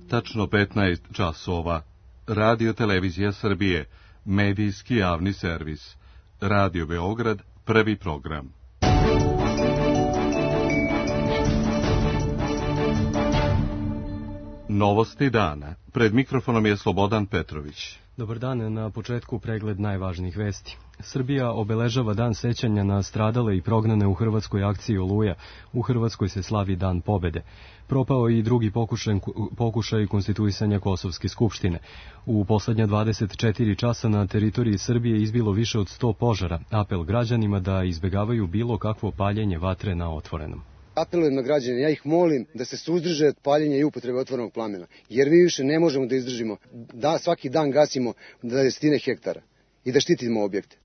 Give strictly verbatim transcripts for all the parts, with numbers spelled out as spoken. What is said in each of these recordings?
tačno petnaest časova. Radio Televizija Srbije, medijski javni servis. Radio Beograd, prvi program. Novosti dana. Pred mikrofonom je Slobodan Petrović. Dobar dan, na početku pregled najvažnijih vesti. Srbija obeležava dan sećanja na stradale i prognane u hrvatskoj akciji Oluja. U Hrvatskoj se slavi Dan pobede. Propao je i drugi pokušaj, pokušaj konstituisanja Kosovske skupštine. U poslednja dvadeset četiri časa na teritoriji Srbije izbilo više od sto požara. Apel građanima da izbegavaju bilo kakvo paljenje vatre na otvorenom. Apelujem na građane, ja ih molim da se suzdrže od paljenja i upotrebe otvorenog plamena, jer mi više ne možemo da izdržimo, da svaki dan gasimo desetine hektara i da štitimo objekte.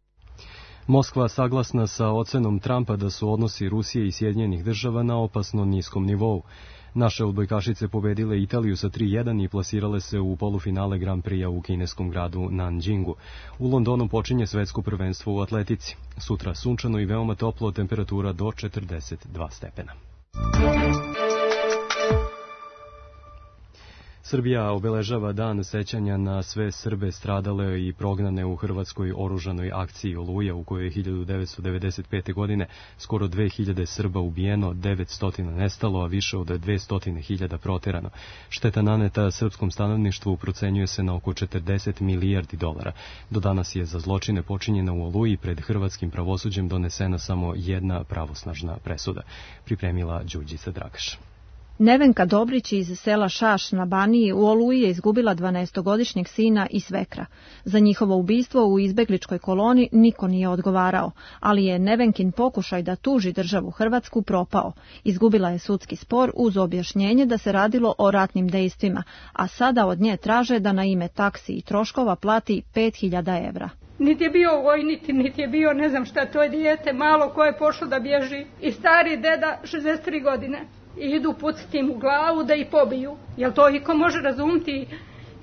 Moskva saglasna sa ocenom Trumpa da su odnosi Rusije i Sjedinjenih država na opasno niskom nivou. Naše odbojkašice pobedile Italiju sa tri jedan i plasirale se u polufinale Grand Prix-a u kineskom gradu Nanjingu. U Londonu počinje svetsko prvenstvo u atletici. Sutra sunčano i veoma toplo, temperatura do četrdeset dva stepena. Srbija obeležava dan sećanja na sve Srbe stradale i prognane u hrvatskoj oružanoj akciji Oluja, u kojoj je hiljadu devetsto devedeset pete. godine skoro dve hiljade Srba ubijeno, devetsto nestalo, a više od dvesta hiljada proterano. Šteta naneta srpskom stanovništvu procenjuje se na oko četrdeset milijardi dolara. Do danas je za zločine počinjene u Oluji pred hrvatskim pravosuđem donesena samo jedna pravosnažna presuda. Pripremila Đurđica Dragaš. Nevenka Dobrić iz sela Šaš na Baniji u Oluji je izgubila dvanaestogodišnjeg sina i svekra. Za njihovo ubistvo u izbegličkoj koloni niko nije odgovarao, ali je Nevenkin pokušaj da tuži državu Hrvatsku propao. Izgubila je sudski spor uz objašnjenje da se radilo o ratnim dejstvima, a sada od nje traže da na ime taksi i troškova plati pet hiljada evra. Niti je bio vojnik, niti je bio ne znam šta, to je dijete malo koje je pošlo da bježi i stari deda šezdeset tri godine. I idu pucati im u glavu da ih pobiju. Jel to iko može razumiti?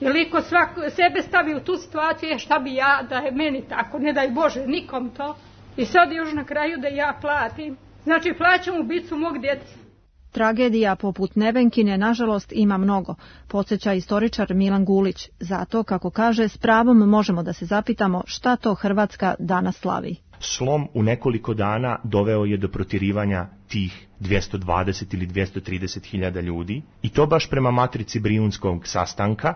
Jel iko svak, sebe stavi u tu situaciju? Je šta bi ja da je meni tako? Ne daj Bože nikom to. I sad još na kraju da ja platim. Znači plaćam ubicu mog djeteta. Tragedija poput Nevenkine, nažalost, ima mnogo, podsjeća istoričar Milan Gulić. Zato, kako kaže, s pravom možemo da se zapitamo šta to Hrvatska danas slavi. Slom u nekoliko dana doveo je do protjerivanja tih dvjesto dvadeset ili dvjesto trideset hiljada ljudi, i to baš prema matrici Brijunskog sastanka,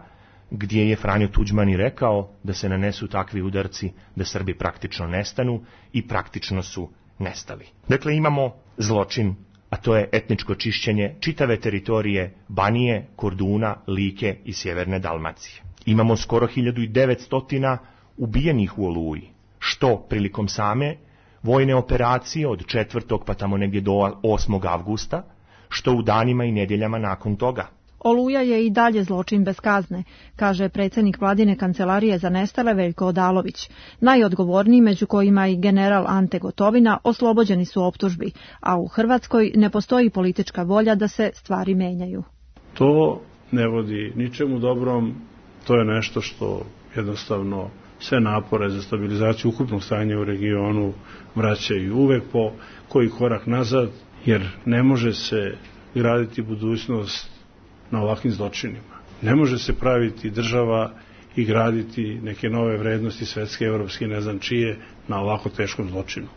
gdje je Franjo Tuđman i rekao da se nanesu takvi udarci da Srbi praktično nestanu, i praktično su nestali. Dakle, imamo zločin, a to je etničko čišćenje čitave teritorije Banije, Korduna, Like i sjeverne Dalmacije. Imamo skoro hiljadu devetsto ubijenih u Oluji, što prilikom same vojne operacije od četvrtog pa tamo negdje do osmog avgusta, što u danima i nedjeljama nakon toga. Oluja je i dalje zločin bez kazne, kaže predsjednik vladine kancelarije za nestale Veljko Odalović. Najodgovorniji, među kojima i general Ante Gotovina, oslobođeni su optužbi, a u Hrvatskoj ne postoji politička volja da se stvari menjaju. To ne vodi ničemu dobrom, to je nešto što jednostavno sve napore za stabilizaciju ukupnog stanja u regionu vraćaju uvek po koji korak nazad, jer ne može se graditi budućnost na ovakvim zločinima. Ne može se praviti država i graditi neke nove vrednosti svetske, evropske, ne znam čije, na ovako teškom zločinu.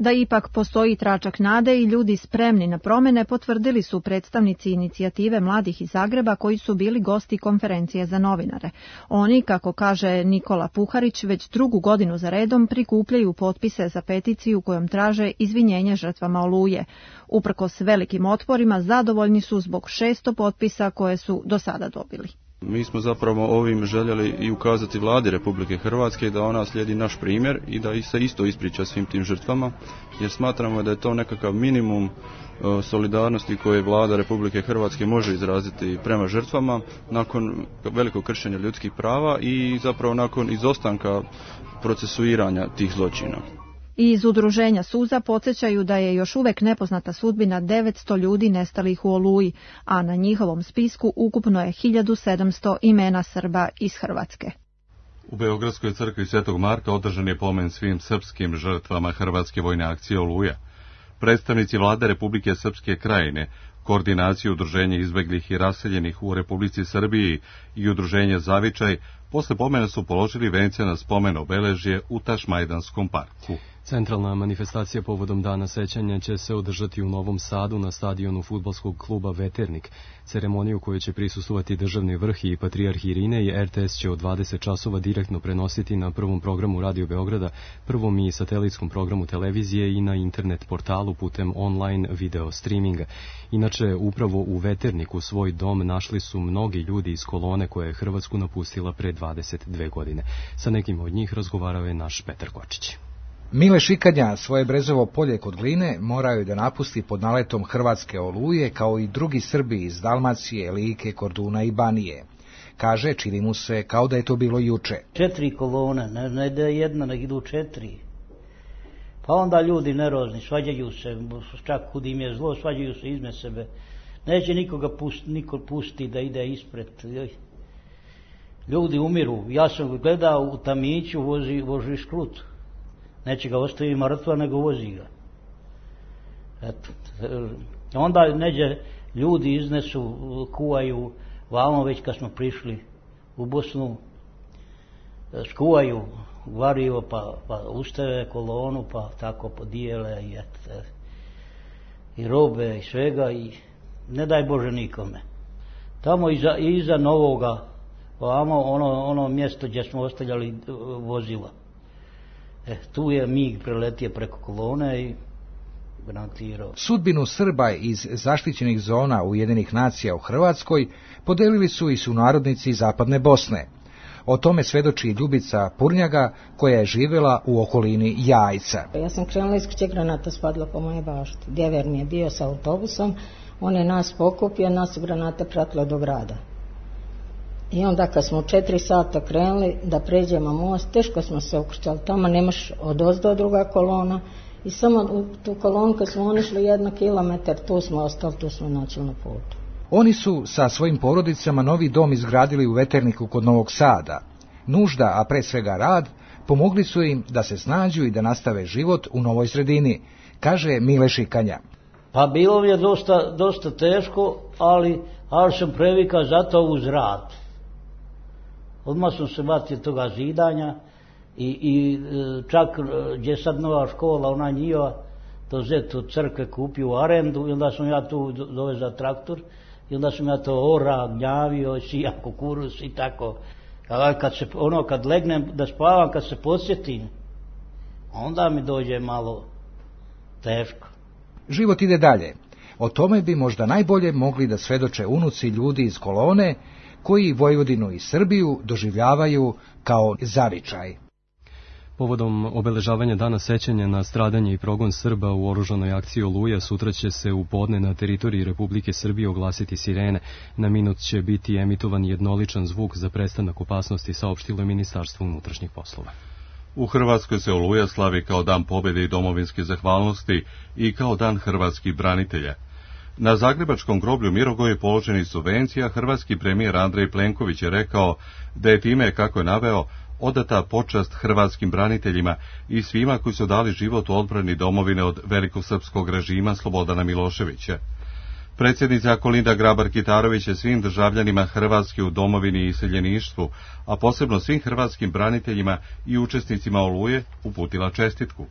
Da ipak postoji tračak nade i ljudi spremni na promjene potvrdili su predstavnici inicijative mladih iz Zagreba koji su bili gosti konferencije za novinare. Oni, kako kaže Nikola Puharić, već drugu godinu za redom prikupljaju potpise za peticiju kojom traže izvinjenje žrtvama Oluje. Uprkos velikim otporima zadovoljni su zbog šesto potpisa koje su do sada dobili. Mi smo zapravo ovim željeli i ukazati vladi Republike Hrvatske da ona slijedi naš primjer i da se isto ispriča svim tim žrtvama, jer smatramo da je to nekakav minimum solidarnosti koje vlada Republike Hrvatske može izraziti prema žrtvama nakon velikog kršenja ljudskih prava i zapravo nakon izostanka procesuiranja tih zločina. I iz udruženja Suza podsjećaju da je još uvek nepoznata sudbina devetsto ljudi nestalih u Oluji, a na njihovom spisku ukupno je hiljadu sedamsto imena Srba iz Hrvatske. U Beogradskoj crkvi Svetog Marka održan je pomen svim srpskim žrtvama hrvatske vojne akcije Oluja. Predstavnici vlade Republike Srpske Krajine, Koordinaciju Udruženja izbeglih i raseljenih u Republici Srbiji i Udruženje Zavičaj posle pomena su položili vence na spomen obeležje u Tašmajdanskom parku. Centralna manifestacija povodom Dana sećanja će se održati u Novom Sadu na stadionu fudbalskog kluba Veternik. Ceremoniju koju će prisustvovati državni vrh i patrijarh Irine i R T S će od dvadeset časova direktno prenositi na prvom programu Radio Beograda, prvom i satelitskom programu televizije i na internet portalu putem online video streaminga. Inače, upravo u Veterniku svoj dom našli su mnogi ljudi iz kolone koja je Hrvatsku napustila pre dvadeset dve godine. Sa nekim od njih razgovarao je naš Petar Kočić. Mile Šikanja svoje Brezovo polje kod Gline morao je da napusti pod naletom hrvatske oluje, kao i drugi Srbi iz Dalmacije, Like, Korduna i Banije. Kaže, čini mu se kao da je to bilo juče. Četiri kolone, ne, ne da je jedna, nek idu četiri. Pa onda ljudi nerozni, svađaju se, čak kud im je zlo, svađaju se izme sebe. Neće nikoga pustiti, niko pustiti da ide ispred. Ljudi umiru. Ja sam gledao u Tamiću, vozi, vozi škrut. Neće ga ostavi mrtva, nego vozi ga. Eto. Onda neđe ljudi iznesu, kuvaju, vamo već kad smo prišli u Bosnu, skuvaju varivo, pa, pa ustave kolonu, pa tako podijele i, et, i robe i svega i ne daj Bože nikome. Tamo iza, iza Novoga, vamo ono, ono mjesto gdje smo ostavljali vozila. E, tu je mig preletio preko kolone i granatirao. Sudbinu Srba iz zaštićenih zona Ujedinjenih nacija u Hrvatskoj podelili su i sunarodnici Zapadne Bosne. O tome svedoči Ljubica Purnjaga, koja je živjela u okolini Jajca. Ja sam krenula iz kuće, granata spadla po moje bašti. Djever mi je bio sa autobusom, on je nas pokupio, nas su granate pratile do grada. I onda kad smo četiri sata krenuli da pređemo most, teško smo se ukrčali, tamo nemaš odozdo druga kolona i samo u tu kolonu kad smo oni šli jedno kilometar, tu smo ostali, tu smo načeli na putu. Oni su sa svojim porodicama novi dom izgradili u Veterniku kod Novog Sada. Nužda, a pre svega rad, pomogli su im da se snađu i da nastave život u novoj sredini, kaže Mile Šikanja. Pa bilo mi je dosta, dosta teško, ali, ali sam previkao zato uz rad. Odmah sam se batio toga zidanja i, i čak gdje je sad nova škola, ona njiva, to zet od crkve kupio u arendu i onda sam ja tu dovezao traktor i onda sam ja to ora, gnjavio, sija kukuruz i tako. Kad se, ono, kad legnem da spavam, kad se podsjetim, onda mi dođe malo teško. Život ide dalje. O tome bi možda najbolje mogli da svedoče unuci ljudi iz kolone, koji Vojvodinu i Srbiju doživljavaju kao zavičaj. Povodom obeležavanja Dana sećanja na stradanje i progon Srba u oružanoj akciji Oluja, sutra će se u podne na teritoriji Republike Srbije oglasiti sirene. Na minut će biti emitovan jednoličan zvuk za prestanak opasnosti, saopštilo je Ministarstvo unutrašnjih poslova. U Hrvatskoj se Oluja slavi kao dan pobjede i domovinske zahvalnosti i kao dan hrvatskih branitelja. Na zagrebačkom groblju Mirogoju položeni su venci, a hrvatski premijer Andrej Plenković je rekao da je time, kako je naveo, odata počast hrvatskim braniteljima i svima koji su dali život u odbrani domovine od velikosrpskog režima Slobodana Miloševića. Predsjednica Kolinda Grabar-Kitarović je svim državljanima Hrvatske u domovini i iseljeništvu, a posebno svim hrvatskim braniteljima i učesnicima Oluje, uputila čestitku.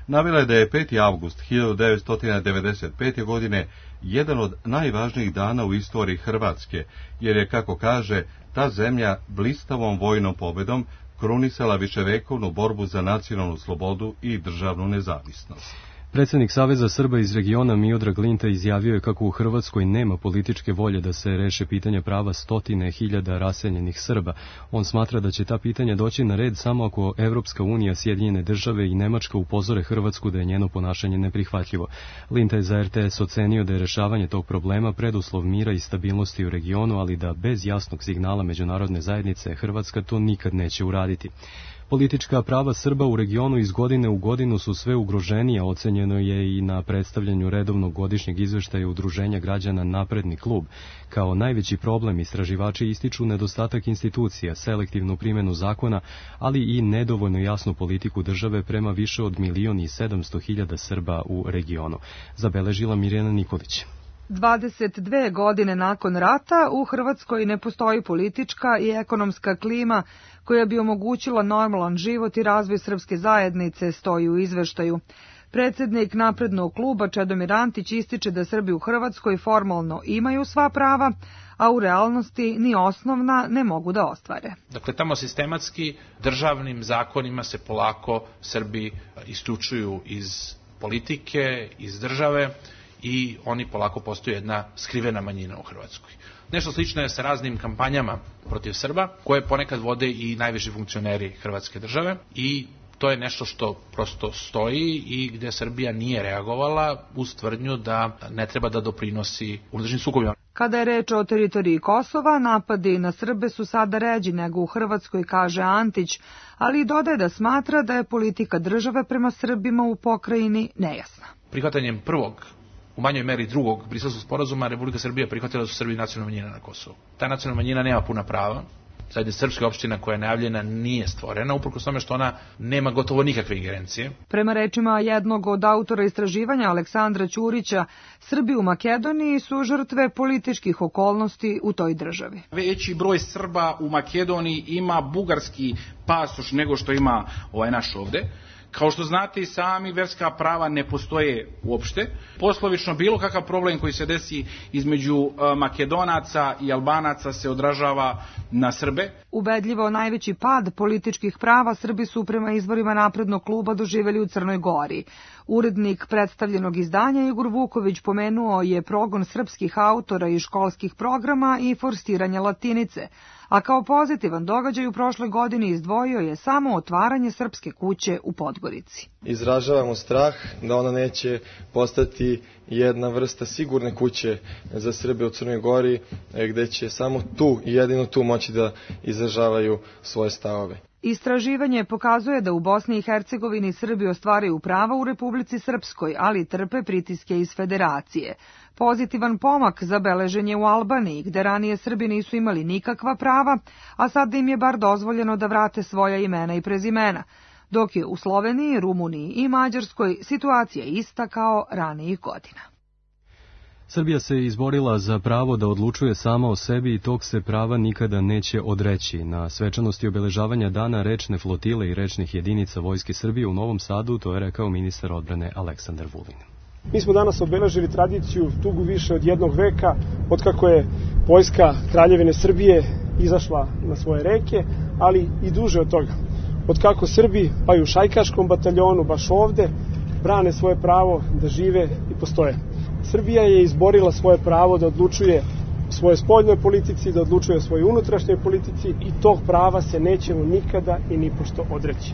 Navela je da je peti avgust hiljadu devetsto devedeset pete. godine jedan od najvažnijih dana u istoriji Hrvatske, jer je, kako kaže, ta zemlja blistavom vojnom pobedom krunisala viševekovnu borbu za nacionalnu slobodu i državnu nezavisnost. Predsjednik Saveza Srba iz regiona Miodrag Linta izjavio je kako u Hrvatskoj nema političke volje da se reše pitanja prava stotine hiljada raseljenih Srba. On smatra da će ta pitanja doći na red samo ako Evropska unija, Sjedinjene države i Nemačka upozore Hrvatsku da je njeno ponašanje neprihvatljivo. Linta je za R T S ocenio da je rešavanje tog problema preduslov mira i stabilnosti u regionu, ali da bez jasnog signala međunarodne zajednice Hrvatska to nikad neće uraditi. Politička prava Srba u regionu iz godine u godinu su sve ugroženija, ocenjeno je i na predstavljanju redovnog godišnjeg izveštaja Udruženja građana Napredni klub. Kao najveći problem istraživači ističu nedostatak institucija, selektivnu primjenu zakona, ali i nedovoljno jasnu politiku države prema više od milion i sedamsto hiljada Srba u regionu. Zabeležila Mirjana Nikolić. dvadeset dve godine nakon rata u Hrvatskoj ne postoji politička i ekonomska klima koja bi omogućila normalan život i razvoj srpske zajednice, stoji u izveštaju. Predsjednik Naprednog kluba Čedomir Antić ističe da Srbi u Hrvatskoj formalno imaju sva prava, a u realnosti ni osnovna ne mogu da ostvare. Dakle, tamo sistematski državnim zakonima se polako Srbi isključuju iz politike, iz države i oni polako postaju jedna skrivena manjina u Hrvatskoj. Nešto slično je sa raznim kampanjama protiv Srba, koje ponekad vode i najviši funkcioneri Hrvatske države i to je nešto što prosto stoji i gde Srbija nije reagovala uz tvrdnju da ne treba da doprinosi unutrašnjim sukobima. Kada je reč o teritoriji Kosova, napadi na Srbe su sada ređi nego u Hrvatskoj, kaže Antić, ali dodaje da smatra da je politika države prema Srbima u pokrajini nejasna. Prihvatanjem prvog, u manjoj meri drugog Briselskog sporazuma, Republika Srbija prihvatila da su Srbi nacionalna manjina na Kosovu. Ta nacionalna manjina nema puna prava. Zajednica srpska opština koja je najavljena nije stvorena, uprkos tome što ona nema gotovo nikakve ingerencije. Prema rečima jednog od autora istraživanja Aleksandra Ćurića, Srbi u Makedoniji su žrtve političkih okolnosti u toj državi. Veći broj Srba u Makedoniji ima bugarski pasoš nego što ima ovaj naš ovde. Kao što znate i sami, verska prava ne postoje uopšte. Poslovično, bilo kakav problem koji se desi između Makedonaca i Albanaca se odražava na Srbe. Ubedljivo najveći pad političkih prava Srbi su prema izvorima Naprednog kluba doživjeli u Crnoj Gori. Urednik predstavljenog izdanja Igor Vuković pomenuo je progon srpskih autora i školskih programa i forsiranje latinice, a kao pozitivan događaj u prošloj godini izdvojio je samo otvaranje srpske kuće u Podgorici. Izražavamo strah da ona neće postati jedna vrsta sigurne kuće za Srbe u Crnoj Gori, gde će samo tu i jedino tu moći da izražavaju svoje stavove. Istraživanje pokazuje da u Bosni i Hercegovini Srbi ostvaraju prava u Republici Srpskoj, ali trpe pritiske iz Federacije. Pozitivan pomak zabeležen je u Albaniji, gde ranije Srbi nisu imali nikakva prava, a sada im je bar dozvoljeno da vrate svoja imena i prezimena, dok je u Sloveniji, Rumuniji i Mađarskoj situacija ista kao ranijih godina. Srbija se izborila za pravo da odlučuje sama o sebi i tog se prava nikada neće odreći. Na svečanosti obeležavanja dana rečne flotile i rečnih jedinica Vojske Srbije u Novom Sadu, to je rekao ministar odbrane Aleksandar Vulin. Mi smo danas obeležili tradiciju dugu više od jednog veka, od kako je vojska Kraljevine Srbije izašla na svoje reke, ali i duže od toga. Od kako Srbi, pa i u šajkaškom bataljonu, baš ovde, brane svoje pravo da žive i postoje. Srbija je izborila svoje pravo da odlučuje o svojoj spoljnoj politici, da odlučuje o svojoj unutrašnjoj politici i tog prava se nećemo nikada i nipošto odreći.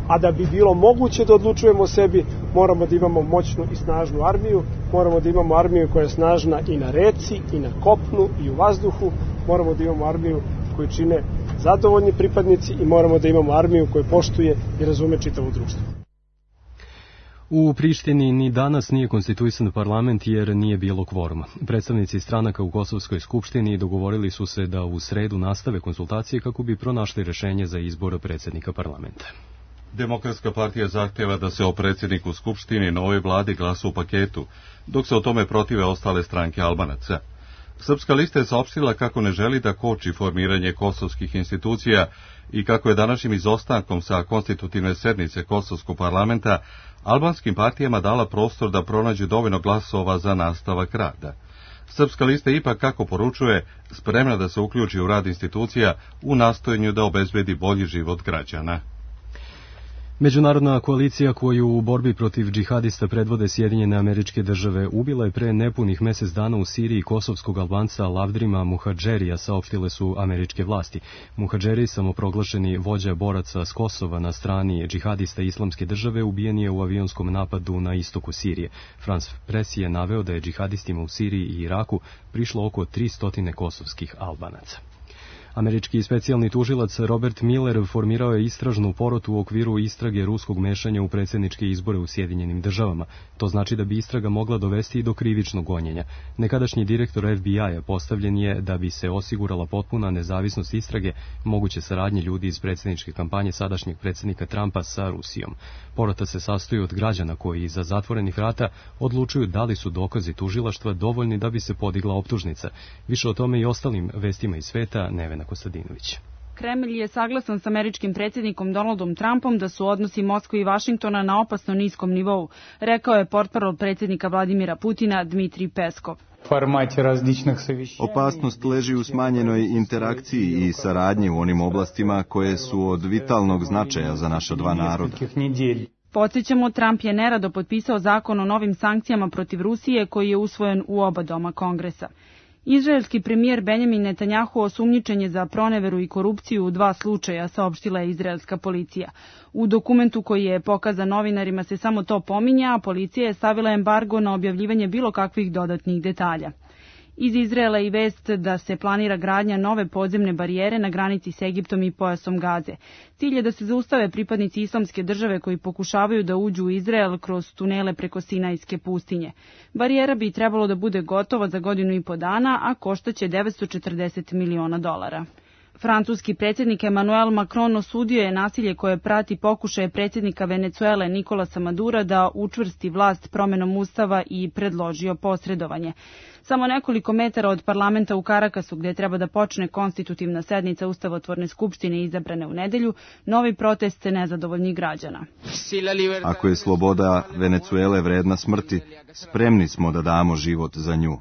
A da bi bilo moguće da odlučujemo o sebi, moramo da imamo moćnu i snažnu armiju, moramo da imamo armiju koja je snažna i na reci, i na kopnu, i u vazduhu, moramo da imamo armiju koju čine zadovoljni pripadnici i moramo da imamo armiju koju poštuje i razume čitavo društvo. U Prištini ni danas nije konstituisan parlament jer nije bilo kvoruma. Predstavnici stranaka u Kosovskoj skupštini dogovorili su se da u sredu nastave konsultacije kako bi pronašli rešenje za izbor predsjednika parlamenta. Demokratska partija zahtjeva da se o predsjedniku Skupštini novoj vladi glasa u paketu, dok se o tome protive ostale stranke Albanaca. Srpska lista je saopštila kako ne želi da koči formiranje kosovskih institucija i kako je današnjim izostankom sa konstitutivne sednice Kosovskog parlamenta albanskim partijama dala prostor da pronađu dovoljno glasova za nastavak rada. Srpska lista ipak, kako poručuje, spremna da se uključi u rad institucija u nastojanju da obezbedi bolji život građana. Međunarodna koalicija koju u borbi protiv džihadista predvode Sjedinjene Američke Države ubila je pre nepunih mjesec dana u Siriji kosovskog Albanca Lavdrima Muhadžerija, saopštile su američke vlasti. Muhadžeri, samoproglašeni vođa boraca s Kosova na strani džihadista Islamske države, ubijen je u avionskom napadu na istoku Sirije. France Press je naveo da je džihadistima u Siriji i Iraku prišlo oko tristotina kosovskih Albanaca. Američki specijalni tužilac Robert Miller formirao je istražnu porotu u okviru istrage ruskog mešanja u predsjedničke izbore u Sjedinjenim državama. To znači da bi istraga mogla dovesti i do krivičnog gonjenja. Nekadašnji direktor F B I-a postavljen je da bi se osigurala potpuna nezavisnost istrage moguće saradnje ljudi iz predsjedničke kampanje sadašnjeg predsjednika Trumpa sa Rusijom. Porota se sastoji od građana koji iza zatvorenih vrata odlučuju da li su dokazi tužilaštva dovoljni da bi se podigla optužnica. Više o tome i ostalim vestima iz sveta Nevena Kostadinović. Kremlj je saglasan s američkim predsjednikom Donaldom Trumpom da su odnosi Moskve i Vašingtona na opasno niskom nivou, rekao je portparol predsjednika Vladimira Putina Dmitrij Peskov. Opasnost leži u smanjenoj interakciji i saradnji u onim oblastima koje su od vitalnog značaja za naša dva naroda. Podsjećamo, Trump je nerado potpisao zakon o novim sankcijama protiv Rusije koji je usvojen u oba doma Kongresa. Izraelski premijer Benjamin Netanjahu osumnjičen je za proneveru i korupciju u dva slučaja, saopštila je izraelska policija. U dokumentu koji je pokazan novinarima se samo to pominja, a policija je stavila embargo na objavljivanje bilo kakvih dodatnih detalja. Iz Izraela i vest da se planira gradnja nove podzemne barijere na granici s Egiptom i pojasom Gaze. Cilj je da se zaustave pripadnici islamske države koji pokušavaju da uđu u Izrael kroz tunele preko Sinajske pustinje. Barijera bi trebalo da bude gotova za godinu i po dana, a koštaće devetsto četrdeset miliona dolara. Francuski predsjednik Emmanuel Macron osudio je nasilje koje prati pokušaje predsjednika Venecuele Nicolasa Madura da učvrsti vlast promenom ustava i predložio posredovanje. Samo nekoliko metara od parlamenta u Karakasu, gdje treba da počne konstitutivna sednica Ustavotvorne skupštine izabrane u nedelju, novi protest nezadovoljnih građana. Ako je sloboda Venecuele vredna smrti, spremni smo da damo život za nju.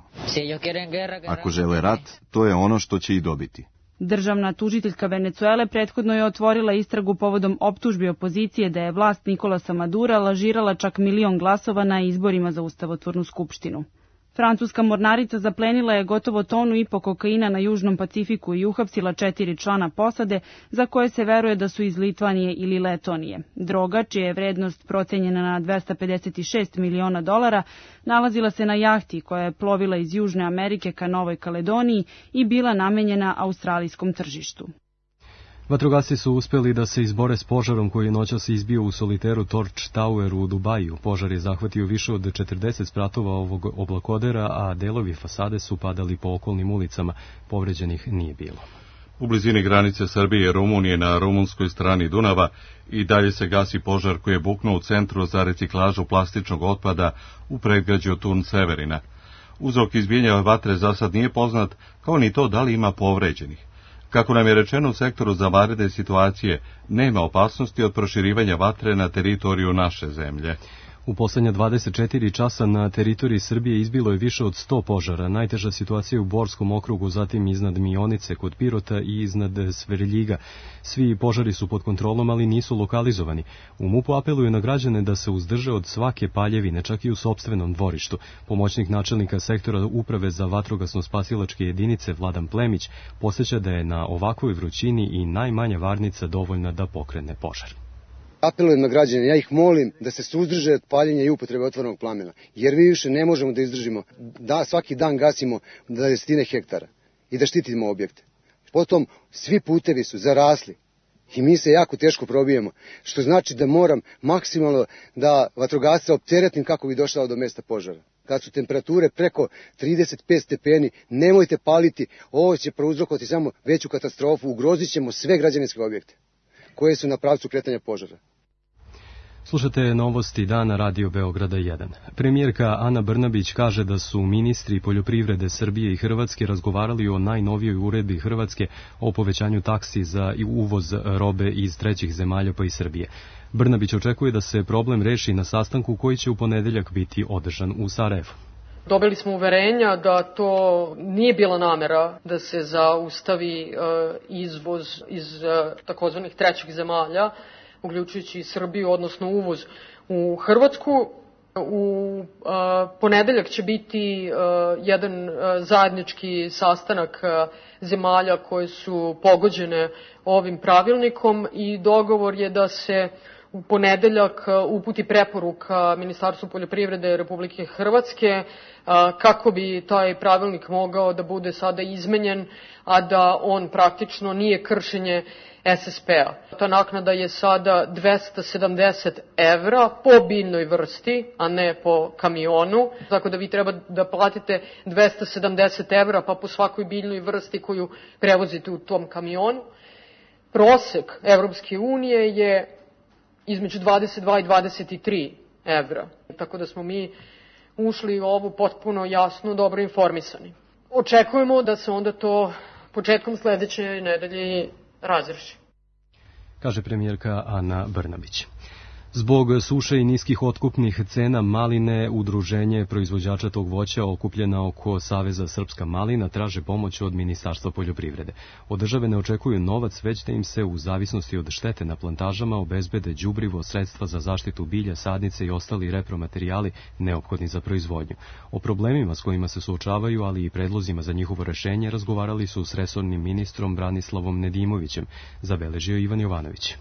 Ako žele rat, to je ono što će i dobiti. Državna tužiteljka Venecuele prethodno je otvorila istragu povodom optužbi opozicije da je vlast Nicolasa Madura lažirala čak milion glasova na izborima za Ustavotvornu skupštinu. Francuska mornarica zaplenila je gotovo tonu i po kokaina na Južnom Pacifiku i uhapsila četiri člana posade za koje se veruje da su iz Litvanije ili Letonije. Droga, čija je vrednost procenjena na dvesta pedeset šest miliona dolara, nalazila se na jahti koja je plovila iz Južne Amerike ka Novoj Kaledoniji i bila namenjena australijskom tržištu. Vatrogasci su uspjeli da se izbore s požarom koji je noćas izbio u soliteru Torch Tower u Dubaju. Požar je zahvatio više od četrdeset spratova ovog oblakodera, a delovi fasade su padali po okolnim ulicama. Povređenih nije bilo. U blizini granice Srbije i Rumunije na rumunskoj strani Dunava i dalje se gasi požar koji je buknuo u centru za reciklažu plastičnog otpada u predgrađu Turn Severina. Uzrok izbijanja vatre za sad nije poznat, kao ni to da li ima povređenih. Kako nam je rečeno u sektoru za vanredne situacije, nema opasnosti od proširivanja vatre na teritoriju naše zemlje. U posljednja dvadeset četiri časa na teritoriji Srbije izbilo je više od sto požara. Najteža situacija je u Borskom okrugu, zatim iznad Mionice kod Pirota i iznad Svrljiga. Svi požari su pod kontrolom, ali nisu lokalizovani. U MUP-u apeluju na građane da se uzdrže od svake paljevine, čak i u sopstvenom dvorištu. Pomoćnik načelnika sektora Uprave za vatrogasno-spasilačke jedinice Vladan Plemić podsjeća da je na ovakvoj vrućini i najmanja varnica dovoljna da pokrene požar. Apelujem na građane, ja ih molim da se suzdrže od paljenja i upotrebe otvorenog plamena, jer mi više ne možemo da izdržimo, da svaki dan gasimo desetine hektara i da štitimo objekte. Potom svi putevi su zarasli i mi se jako teško probijemo, što znači da moram maksimalno da vatrogasca opteretim kako bi došao do mesta požara. Kad su temperature preko trideset pet stepeni, nemojte paliti, ovo će prouzrokovati samo veću katastrofu, ugrozit ćemo sve građevinske objekte koje su na pravcu kretanja požara. Slušate novosti dana Radio Beograda jedan. Premijerka Ana Brnabić kaže da su ministri poljoprivrede Srbije i Hrvatske razgovarali o najnovijoj uredbi Hrvatske o povećanju taksi za uvoz robe iz trećih zemalja pa i Srbije. Brnabić očekuje da se problem reši na sastanku koji će u ponedeljak biti održan u Sarajevu. Dobili smo uverenja da to nije bila namera da se zaustavi izvoz iz takozvanih trećih zemalja, uključujući Srbiju, odnosno uvoz u Hrvatsku. U ponedeljak će biti jedan zajednički sastanak zemalja koje su pogođene ovim pravilnikom i dogovor je da se u ponedeljak uputi preporuka Ministarstvu poljoprivrede Republike Hrvatske kako bi taj pravilnik mogao da bude sada izmenjen, a da on praktično nije kršenje S S P-a. Ta naknada je sada dvesta sedamdeset evra po biljnoj vrsti, a ne po kamionu. Tako da vi treba da platite dvesta sedamdeset evra pa po svakoj biljnoj vrsti koju prevozite u tom kamionu. Prosek Evropske unije je između dvadeset dva i dvadeset tri evra. Tako da smo mi ušli u ovu potpuno jasno, dobro informisani. Očekujemo da se onda to početkom sledeće nedelje razreši. Kaže premijerka Ana Brnabić. Zbog suše i niskih otkupnih cena maline, udruženje proizvođača tog voća okupljena oko Saveza Srpska malina traže pomoć od Ministarstva poljoprivrede. Od države ne očekuju novac, već da im se u zavisnosti od štete na plantažama obezbede đubrivo, sredstva za zaštitu bilja, sadnice i ostali repromaterijali neophodni za proizvodnju. O problemima s kojima se suočavaju, ali i predlozima za njihovo rešenje razgovarali su s resornim ministrom Branislavom Nedimovićem, zabeležio Ivan Jovanović.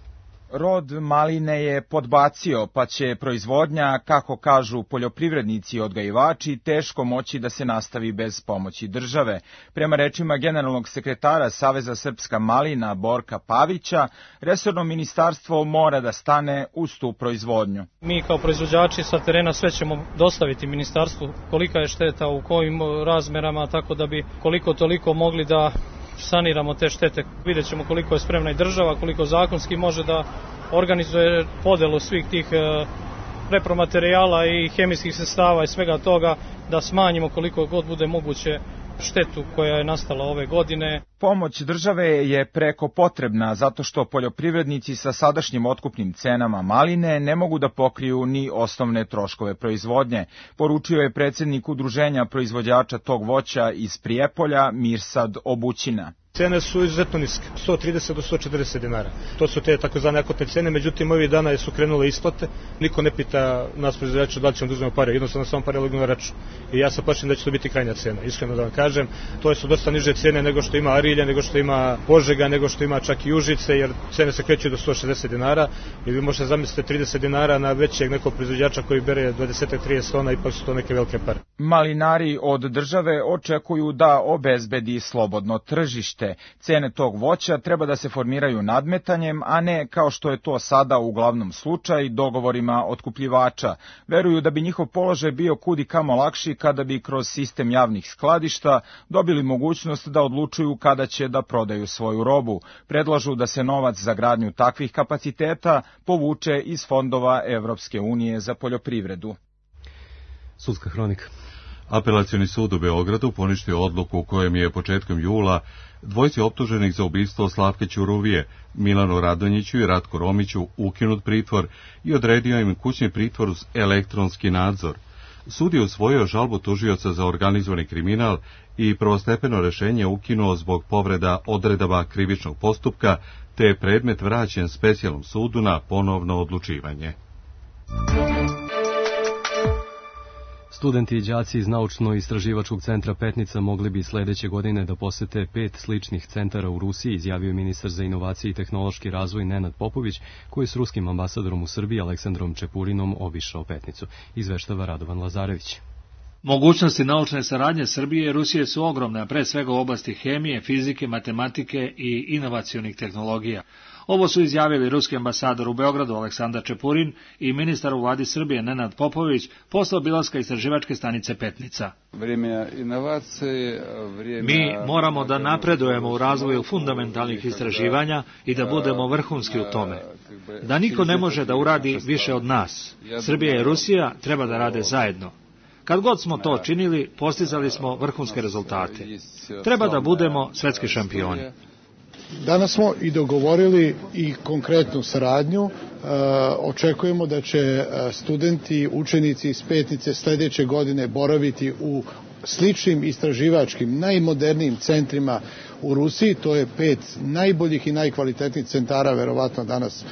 Rod maline je podbacio, pa će proizvodnja, kako kažu poljoprivrednici i odgajivači, teško moći da se nastavi bez pomoći države. Prema rečima generalnog sekretara Saveza Srpska malina Borka Pavića, resorno ministarstvo mora da stane uz tu proizvodnju. Mi kao proizvođači sa terena sve ćemo dostaviti ministarstvu kolika je šteta, u kojim razmerama, tako da bi koliko toliko mogli da saniramo te štete. Vidjet ćemo koliko je spremna i država, koliko zakonski može da organizuje podelu svih tih repromaterijala i hemijskih sredstava i svega toga, da smanjimo koliko god bude moguće štetu koja je nastala ove godine. Pomoć države je preko potrebna zato što poljoprivrednici sa sadašnjim otkupnim cenama maline ne mogu da pokriju ni osnovne troškove proizvodnje, poručio je predsjednik udruženja proizvođača tog voća iz Prijepolja Mirsad Obućina. Cene su izuzetno niske, sto trideset do sto četrdeset dinara. To su te takozvane akutne cene, međutim ovih dana su krenule isplate. Niko ne pita nas proizvođača da li ćemo da uzmemo pare, jednostavno samo pare legnu na račun. I ja sam plašen da će to biti krajnja cena, iskreno da vam kažem. To su dosta niže cene nego što ima Arilja, nego što ima Požega, nego što ima čak i Užice, jer cene se kreću do sto šezdeset dinara. I vi možete zamisliti trideset dinara na većeg nekog proizvođača koji bere dvadeset do trideset tona, ipak su to neke velike pare. Malinari od države očekuju da obezbedi slobodno tržište. Cene tog voća treba da se formiraju nadmetanjem, a ne kao što je to sada uglavnom slučaj dogovorima otkupljivača. Veruju da bi njihov položaj bio kudi kamo lakši kada bi kroz sistem javnih skladišta dobili mogućnost da odlučuju kada će da prodaju svoju robu. Predlažu da se novac za gradnju takvih kapaciteta povuče iz fondova Evropske unije za poljoprivredu. Sudska hronika. Apelacioni sud u Beogradu poništio odluku u kojem je početkom jula dvojci optuženih za ubistvo Slavke Ćuruvije, Milanu Radonjiću i Ratku Romiću ukinut pritvor i odredio im kućni pritvor uz elektronski nadzor. Sud je usvojio žalbu tužioca za organizovani kriminal i prvostepeno rešenje ukinuo zbog povreda odredaba krivičnog postupka, te je predmet vraćen specijalnom sudu na ponovno odlučivanje. Studenti i đaci iz Naučno-istraživačkog centra Petnica mogli bi sledeće godine da posete pet sličnih centara u Rusiji, izjavio ministar za inovacije i tehnološki razvoj Nenad Popović, koji je s ruskim ambasadorom u Srbiji Aleksandrom Čepurinom obišao Petnicu. Izveštava Radovan Lazarević. Mogućnosti naučne saradnje Srbije i Rusije su ogromne, a pre svega u oblasti hemije, fizike, matematike i inovacionih tehnologija. Ovo su izjavili ruski ambasador u Beogradu Aleksandar Čepurin i ministar u vladi Srbije Nenad Popović posle obilaska istraživačke stanice Petnica. Mi moramo da napredujemo u razvoju fundamentalnih istraživanja i da budemo vrhunski u tome. Da niko ne može da uradi više od nas. Srbija i Rusija treba da rade zajedno. Kad god smo to činili, postizali smo vrhunske rezultate. Treba da budemo svetski šampioni. Danas smo i dogovorili i konkretnu saradnju. E, očekujemo da će studenti, učenici iz Petnice sledeće godine boraviti u sličnim istraživačkim, najmodernijim centrima u Rusiji. To je pet najboljih i najkvalitetnijih centara, verovatno danas e,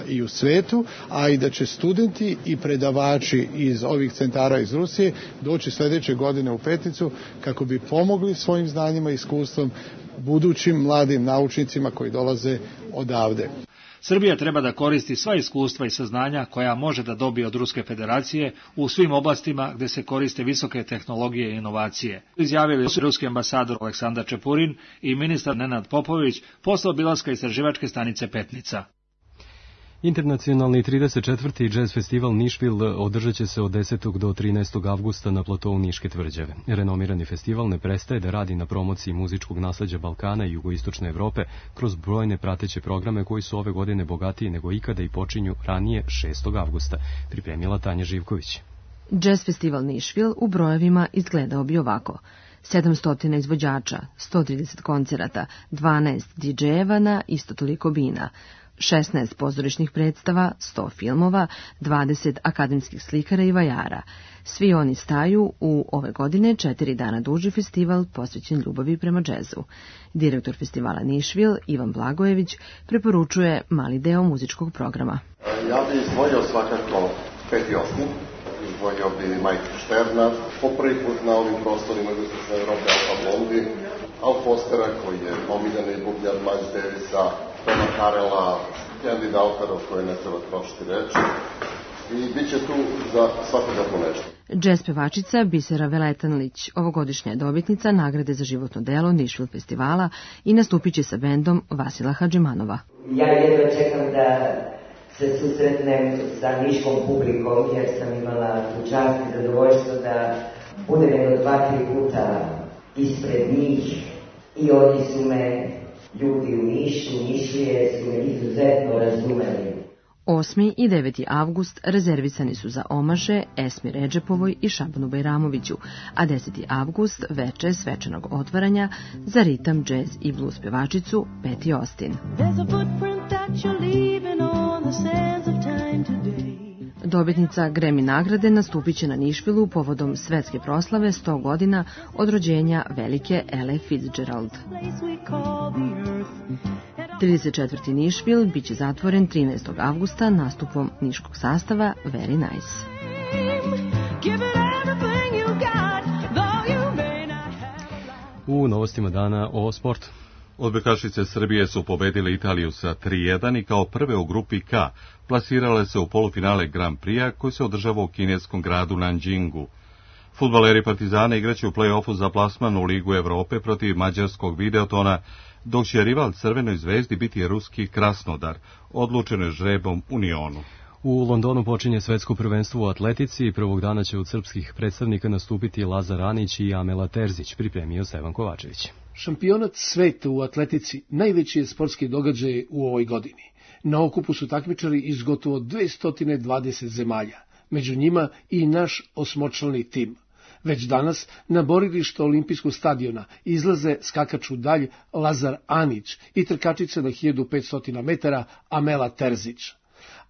i u svetu, a i da će studenti i predavači iz ovih centara iz Rusije doći sledeće godine u Petnicu kako bi pomogli svojim znanjima i iskustvom budućim mladim naučnicima koji dolaze odavde. Srbija treba da koristi sva iskustva i saznanja koja može da dobije od Ruske federacije u svim oblastima gde se koriste visoke tehnologije i inovacije. Izjavili su ruski ambasador Aleksandar Čepurin i ministar Nenad Popović posle obilaska istraživačke stanice Petnica. Internacionalni trideset četvrti Jazz festival Nišvil održat će se od desetog do trinaestog avgusta na platovu Niške tvrđave. Renomirani festival ne prestaje da radi na promociji muzičkog nasleđa Balkana i jugoistočne Evrope kroz brojne prateće programe koji su ove godine bogatiji nego ikada i počinju ranije šestog avgusta, pripremila Tanja Živković. Jazz festival Nišvil u brojevima izgledao bi ovako. sedamsto izvođača, sto trideset koncerata, dvanaest didžejeva na isto toliko bina, šesnaest pozorišnih predstava, sto filmova, dvadeset akademskih slikara i vajara. Svi oni staju u ove godine četiri dana duži festival posvećen ljubavi prema džezu. Direktor festivala Nišvil, Ivan Blagojević, preporučuje mali deo muzičkog programa. Ja bih izdvojio svakako Peti Osmi, izdvojio bi Majka Šterna, po prvi put na ovim prostorima jugoistočne Evrope Alfa Blondi, Al Fostera koji je pomiljeni bubljar Miles Davisa, Toma Karela, Candy Daughter, o kojoj ne treba trošiti reči, i bit će tu za svakoga po nešto. Džez pevačica Bisera Veletanlić, ovogodišnja je dobitnica nagrade za životno delo Nišvil festivala i nastupit će sa bendom Vasila Hadžimanova. Ja jedno čekam da se susretnem sa niškom publikom, jer sam imala tu čast i zadovoljstvo da budem jedno dva, tri puta ispred njih i oni su me, ljudi u Nišu, Nišlije, su me izuzetno razumeli. osmi i deveti avgust rezervisani su za omaše Esmi Redžepovoj i Šabanu Bajramoviću, a deseti avgust veče svečanog otvaranja za ritam, džez i blues pevačicu Peti Austin. Dobitnica Grammy nagrade nastupit će na Nišvilu povodom svetske proslave sto godina od rođenja velike Elle Fitzgerald. trideset četvrti Nišvil biće zatvoren trinaestog avgusta nastupom niškog sastava Very Nice. U novostima dana o sportu. Odbojkašice Srbije su pobedile Italiju sa tri jedan i kao prve u grupi K plasirale se u polufinale Grand Prix-a koji se održava u kineskom gradu Nanjingu. Fudbaleri Partizana igraće u play-offu za plasman u Ligu Evrope protiv mađarskog Videotona, dok će rival Crvenoj zvezdi biti ruski Krasnodar, odlučeno je žrebom u Nionu. U Londonu počinje svetsko prvenstvo u atletici i prvog dana će od srpskih predstavnika nastupiti Lazar Anić i Amela Terzić, pripremio Stevan Kovačević. Šampionat sveta u atletici najveći je sportski događaj u ovoj godini. Na okupu su takmičari iz gotovo dvesta dvadeset zemalja, među njima i naš osmočlani tim. Već danas na borilište olimpijskog stadiona izlaze skakač u dalj Lazar Anić i trkačica na hiljadu petsto metara Amela Terzić.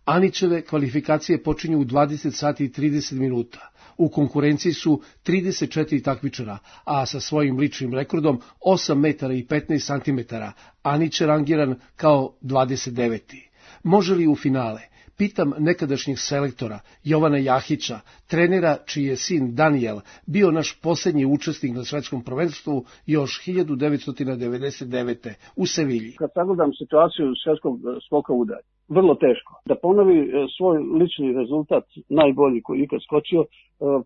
Anićeve kvalifikacije počinju u dvadeset sati i trideset minuta. U konkurenciji su trideset četiri takmičara, a sa svojim ličnim rekordom osam metara i petnaest santimetara Anić je rangiran kao dvadeset deveti. Može li u finale? Pitam nekadašnjeg selektora Jovana Jahića, trenera čiji je sin Daniel bio naš posljednji učesnik na svetskom prvenstvu još hiljadu devetsto devedeset devete. u Sevilji. Kad sagledam situaciju svetskog skoka udalj, vrlo teško. Da ponovi svoj lični rezultat, najbolji koji ikad skočio,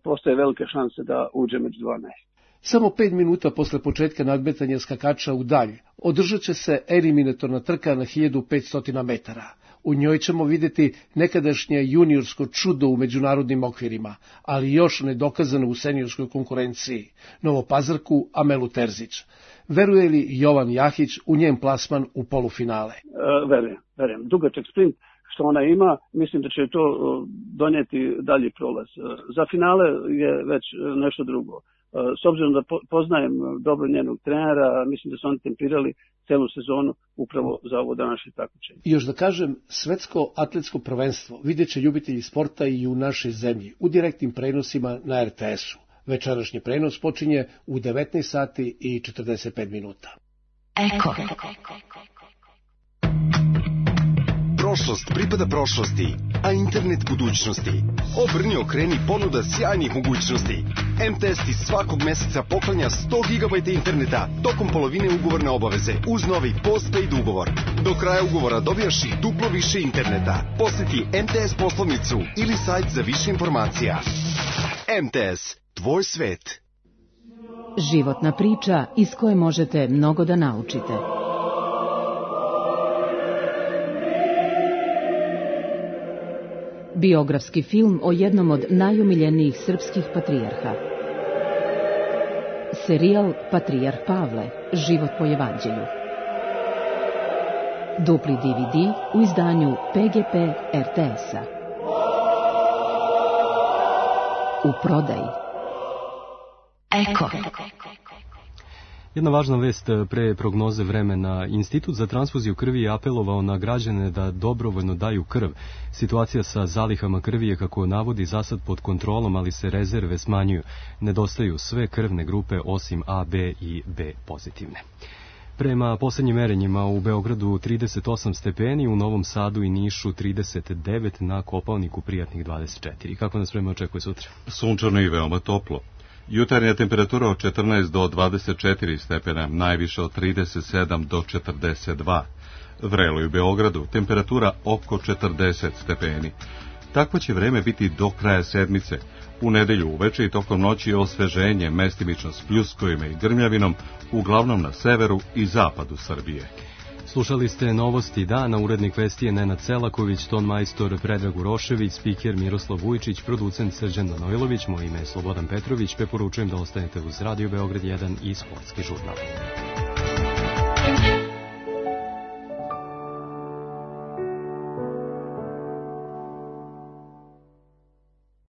postoje velike šanse da uđe među dvanaest. Samo pet minuta posle početka nadmetanja skakača u dalj održat će se eliminatorna trka na hiljadu petsto metara. U njoj ćemo vidjeti nekadašnje juniorsko čudo u međunarodnim okvirima, ali još nedokazano u seniorskoj konkurenciji, Novopazarku Amelu Terzić. Veruje li Jovan Jahić u njen plasman u polufinale? E, verujem, verujem. Dugačak sprint što ona ima, mislim da će to donijeti dalji prolaz. Za finale je već nešto drugo. S obzirom da poznajem dobro njenog trenera, mislim da su oni tempirali celu sezonu upravo za ovo današnje takmičenje. I još da kažem, svetsko atletsko prvenstvo vidjet će ljubitelji sporta i u našoj zemlji u direktnim prenosima na er te esu. Večerašnji prenos počinje u devetnaest sati i četrdeset pet minuta. Eko. Prošlost pripada prošlosti, a internet budućnosti. Obrni okreni ponuda sjajnih mogućnosti. M T S ti svakog meseca poklanja sto gigabajta interneta tokom polovine ugovorne obaveze uz novi postpaid ugovor. Do kraja ugovora dobijaš i duplo više interneta. Posjeti M T S poslovnicu ili sajt za više informacija. M T S, tvoj svet. Životna priča iz koje možete mnogo da naučite. Biografski film o jednom od najomiljenijih srpskih patrijarha. Serijal Patrijarh Pavle, život po evanđelju. Dupli D V D u izdanju P G P R T S-a. U prodaji. Eko. Jedna važna vest pre prognoze vremena. Institut za transfuziju krvi je apelovao na građane da dobrovoljno daju krv. Situacija sa zalihama krvi je, kako navodi, zasad pod kontrolom, ali se rezerve smanjuju. Nedostaju sve krvne grupe osim A, B i B pozitivne. Prema posljednjim merenjima u Beogradu trideset osam stepeni, u Novom Sadu i Nišu trideset devet, na Kopaoniku prijatnih dvadeset četiri. Kako nas vreme očekuje sutra? Sunčano i veoma toplo. Jutarnja temperatura od četrnaest do dvadeset četiri stepena, najviše od trideset sedam do četrdeset dva. Vrelo i u Beogradu, temperatura oko četrdeset stepeni. Takvo će vreme biti do kraja sedmice. U nedelju uveče i tokom noći osveženje, mestimično s pljuskovima i grmljavinom, uglavnom na severu i zapadu Srbije. Slušali ste novosti dana, urednik vesti je Nenad Selaković, ton majstor Predrag Urošević, spiker Miroslav Vujčić, producent Srđan Manojlović, moje ime je Slobodan Petrović, preporučujem da ostanete uz Radio Beograd jedan i Sportski žurnal.